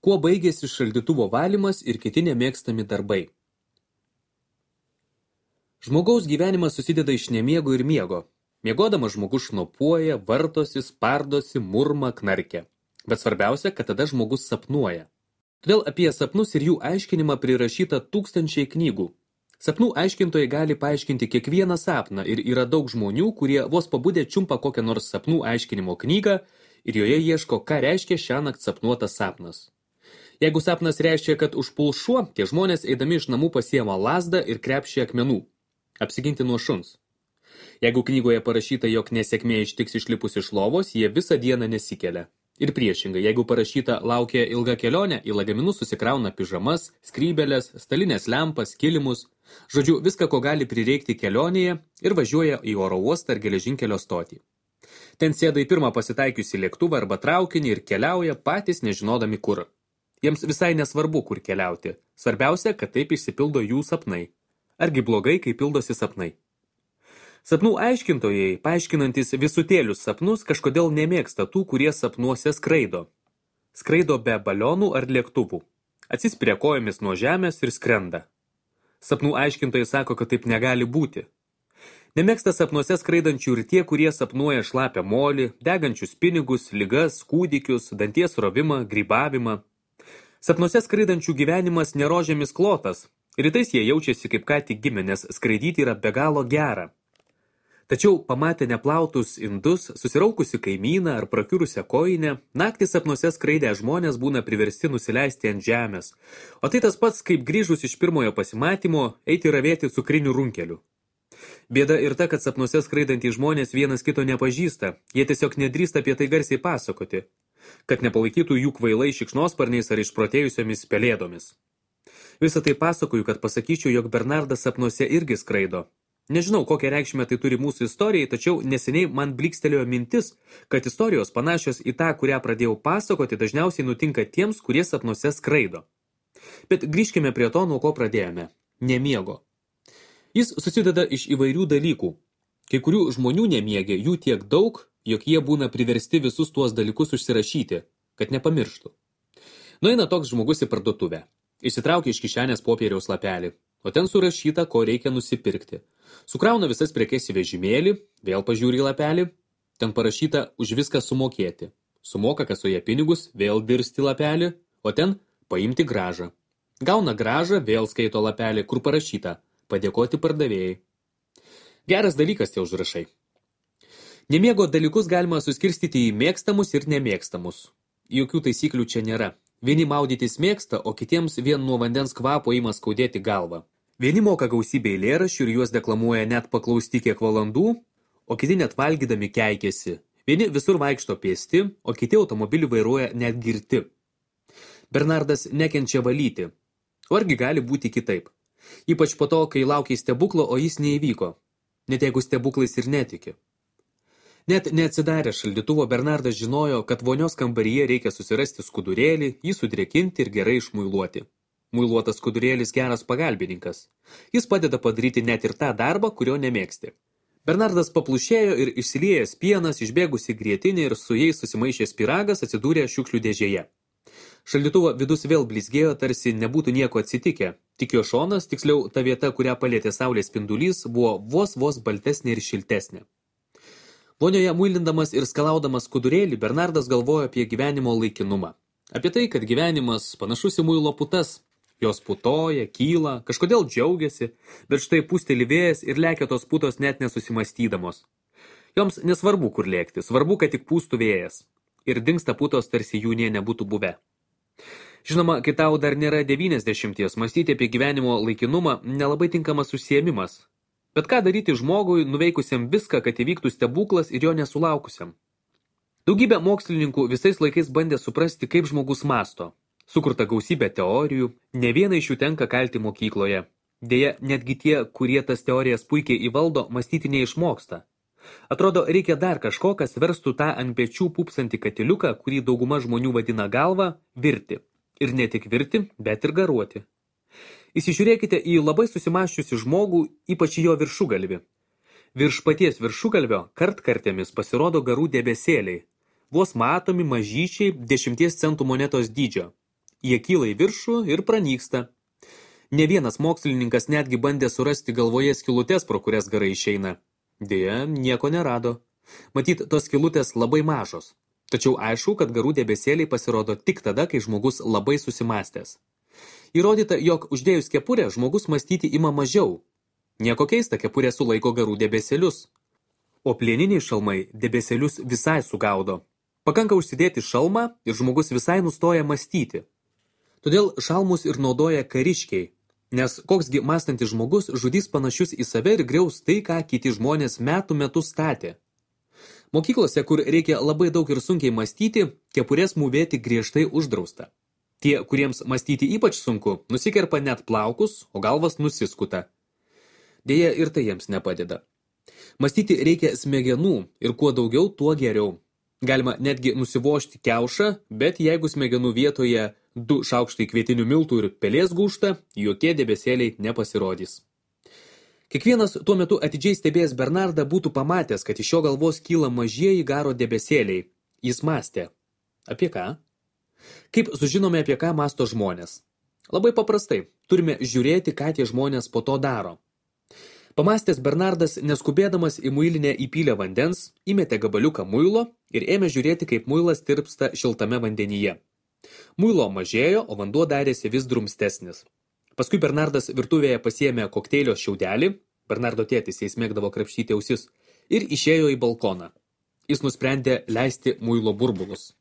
Kuo baigėsi šaldytuvo valymas ir kiti nemėgstami darbai? Žmogaus gyvenimas susideda iš nemiego ir miego. Miegodamas žmogus šnopuoja, vartosi, spardosi, murma, knarkia. Bet svarbiausia, kad tada žmogus sapnuoja. Todėl apie sapnus ir jų aiškinimą prirašyta tūkstančiai knygų. Sapnų aiškintojai gali paaiškinti kiekvieną sapną ir yra daug žmonių, kurie vos pabudę čiumpa kokią nors sapnų aiškinimo knygą ir joje ieško, ką reiškia šiąnakt sapnuotas sapnas. Jeigu sapnas reiškia, kad užpuls šuo, tie žmonės eidami iš namų pasiema lazdą ir krepšį akmenų. Apsiginti nuo šuns. Jeigu knygoje parašyta, jog nesėkmė ištiks išlipus iš lovos, jie visą dieną nesikelia. Ir priešingai, jeigu parašyta laukia ilga kelionė, į lagaminus susikrauna pižamas, skrybelės, stalinės lempas, kilimus, žodžiu, viską, ko gali prireikti kelionėje ir važiuoja į oro uostą ar geležinkelio stotį. Ten sėda į pirmą pasitaikiusį lėktuvą arba traukinį ir keliauja patys nežinodami kur. Jiems visai nesvarbu, kur keliauti. Svarbiausia, kad taip išsipildo jų sapnai. Argi blogai, kai pildosi sapnai? Sapnų aiškintojai, paaiškinantis visutėlius sapnus, kažkodėl nemėgsta tų, kurie sapnuose skraido. Skraido be balionų ar lėktuvų. Atsispiria kojomis nuo žemės ir skrenda. Sapnų aiškintojai sako, kad taip negali būti. Nemėgsta sapnuose skraidančių ir tie, kurie sapnuoja šlapią molį, degančius pinigus, ligas, kūdikius, danties rovimą, grybavimą. Sapnuose skraidančių gyvenimas nerožėmis klotas. Rytais jie jaučiasi kaip ką tik gimę, nes skraidyti yra be galo gera. Tačiau pamatę neplautus indus, susiraukusi kaimyną ar prakiurusią kojinę, naktį sapnuose skraidę žmonės būna priversti nusileisti ant žemės. O tai tas pats, kaip grįžus iš pirmojo pasimatymo, eiti ravėti cukrinių runkelių. Bėda ir ta, kad sapnuose skraidantys žmonės vienas kito nepažįsta, jie tiesiog nedrįsta apie tai garsiai pasakoti, kad nepalaikytų jų kvailai šikšnosparniais ar išprotėjusiomis pelėdomis. Visą tai pasakoju, kad pasakyčiau, jog Bernardas sapnuose irgi skraido. Nežinau, kokią reikšmę tai turi mūsų istorijai, tačiau neseniai man blikstelėjo mintis, kad istorijos panašios į tą, kurią pradėjau pasakoti, dažniausiai nutinka tiems, kurie sapnuose skraido. Bet grįžkime prie to, nuo ko pradėjome. Nemiego. Jis susideda iš įvairių dalykų. Kai kurių žmonių nemiegė jų tiek daug, jog jie būna priversti visus tuos dalykus užsirašyti, kad nepamirštų. Nueina toks žmogus į parduotuvę. Išsitraukia iš kišenės popieriaus lapelį, o ten surašyta, ko reikia nusipirkti. Sukrauna visas prekes į vežimėlį, vėl pažiūri į lapelį, ten parašyta už viską sumokėti. Sumoka kasoje pinigus, vėl dirsti lapelį, o ten paimti gražą. Gauna gražą, vėl skaito lapelį, kur parašyta padėkoti pardavėjai. Geras dalykas tie užrašai. Nemiego dalykus galima suskirstyti į mėgstamus ir nemėgstamus. Jokių taisyklių čia nėra. Vieni maudytis mėgsta, o kitiems vien nuo vandens kvapo ima skaudėti galvą. Vieni moka gausybę eilėraščių ir juos deklamuoja net paklausti kiek valandų, o kiti net valgydami keikėsi. Vieni visur vaikšto pėsti, o kiti automobilį vairuoja net girti. Bernardas nekenčia valyti. O argi gali būti kitaip? Ypač po to, kai laukiai stebuklo, o jis neįvyko. Net jeigu stebuklais ir netiki. Net neatsidarę šaldytuvo, Bernardas žinojo, kad vonios kambaryje reikia susirasti skudurėlį, jį sudrėkinti ir gerai išmuiluoti. Muiluotas skudurėlis geras pagalbininkas. Jis padeda padaryti net ir tą darbą, kurio nemėgsti. Bernardas paplušėjo ir išsiliejęs pienas, išbėgusi grietinė ir su jais susimaišęs pyragas atsidūrė šiukšlių dėžėje. Šaldytuvo vidus vėl blizgėjo, tarsi nebūtų nieko atsitikę. Tik jo šonas, tiksliau ta vieta, kurią palietė saulės spindulys, buvo vos baltesnė ir šiltesnė. Vonioje muilindamas ir skalaudamas skudurėlį, Bernardas galvojo apie gyvenimo laikinumą. Apie tai, kad gyvenimas panašus į muilo putas. Jos putoja, kyla, kažkodėl džiaugiasi, bet štai pūsteli vėjas ir lekia tos putos net nesusimastydamos. Joms nesvarbu, kur lėkti, svarbu, kad tik pūstų vėjas. Ir dingsta putos, tarsi jų nė nebūtų buvę. Žinoma, kai tau dar nėra 90, mąstyti apie gyvenimo laikinumą nelabai tinkamas užsiėmimas. Bet ką daryti žmogui, nuveikusiam viską, kad įvyktų stebuklas ir jo nesulaukusiam? Daugybė mokslininkų visais laikais bandė suprasti, kaip žmogus mąsto. Sukurta gausybė teorijų, ne vieną iš jų tenka kalti mokykloje. Deja, netgi tie, kurie tas teorijas puikiai įvaldo, mąstyti neišmoksta. Atrodo, reikia dar kažko, kas verstų tą ant pečių pupsantį katiliuką, kurį dauguma žmonių vadina galva, virti. Ir ne tik virti, bet ir garuoti. Įsižiūrėkite į labai susimaščiusi žmogų, ypač į jo viršugalvį. Virš paties viršugalvio kartkartėmis pasirodo garų debesėliai. Vos matomi mažyčiai 10 centų monetos dydžio. jie kyla į viršų ir pranyksta. Ne vienas mokslininkas netgi bandė surasti galvoje skylutes, pro kurias garai išeina. Deja, nieko nerado. Matyt, tos skylutės labai mažos. Tačiau aišku, kad garų debesėliai pasirodo tik tada, kai žmogus labai susimastęs. Įrodyta, jog uždėjus kepurę žmogus mąstyti ima mažiau. Nieko keista, kepurė sulaiko garų debesėlius. O plieniniai šalmai debesėlius visai sugaudo. Pakanka užsidėti šalmą ir žmogus visai nustoja mąstyti. Todėl šalmus ir naudoja kariškiai, nes koksgi mąstantis žmogus žudys panašius į save ir griaus tai, ką kiti žmonės metų metus statė. Mokyklose, kur reikia labai daug ir sunkiai mąstyti, kepurės mūvėti griežtai uždrausta. Tie, kuriems mąstyti ypač sunku, nusikerpa net plaukus, o galvas nusiskuta. Deja, ir tai jiems nepadeda. Mąstyti reikia smegenų ir kuo daugiau, tuo geriau. Galima netgi nusivožti kiaušą, bet jeigu smegenų vietoje 2 šaukštai kvietinių miltų ir pelės gūžta, jokie debesėliai nepasirodys. Kiekvienas tuo metu atidžiai stebėjęs Bernardą būtų pamatęs, kad iš jo galvos kyla mažieji garo debesėliai. Jis mąstė. Apie ką? Kaip sužinome, apie ką mąsto žmonės? Labai paprastai. Turime žiūrėti, ką tie žmonės po to daro. Pamastęs Bernardas, neskubėdamas į muilinę įpylė vandens, įmetė gabaliuką muilo ir ėmė žiūrėti, kaip muilas tirpsta šiltame vandenyje. Muilo mažėjo, o vanduo darėsi vis drumstesnis. Paskui Bernardas virtuvėje pasiėmė kokteilio šiaudelį, Bernardo tėtis jais mėgdavo krapštyti ausis, ir išėjo į balkoną. Jis nusprendė leisti muilo burbulus.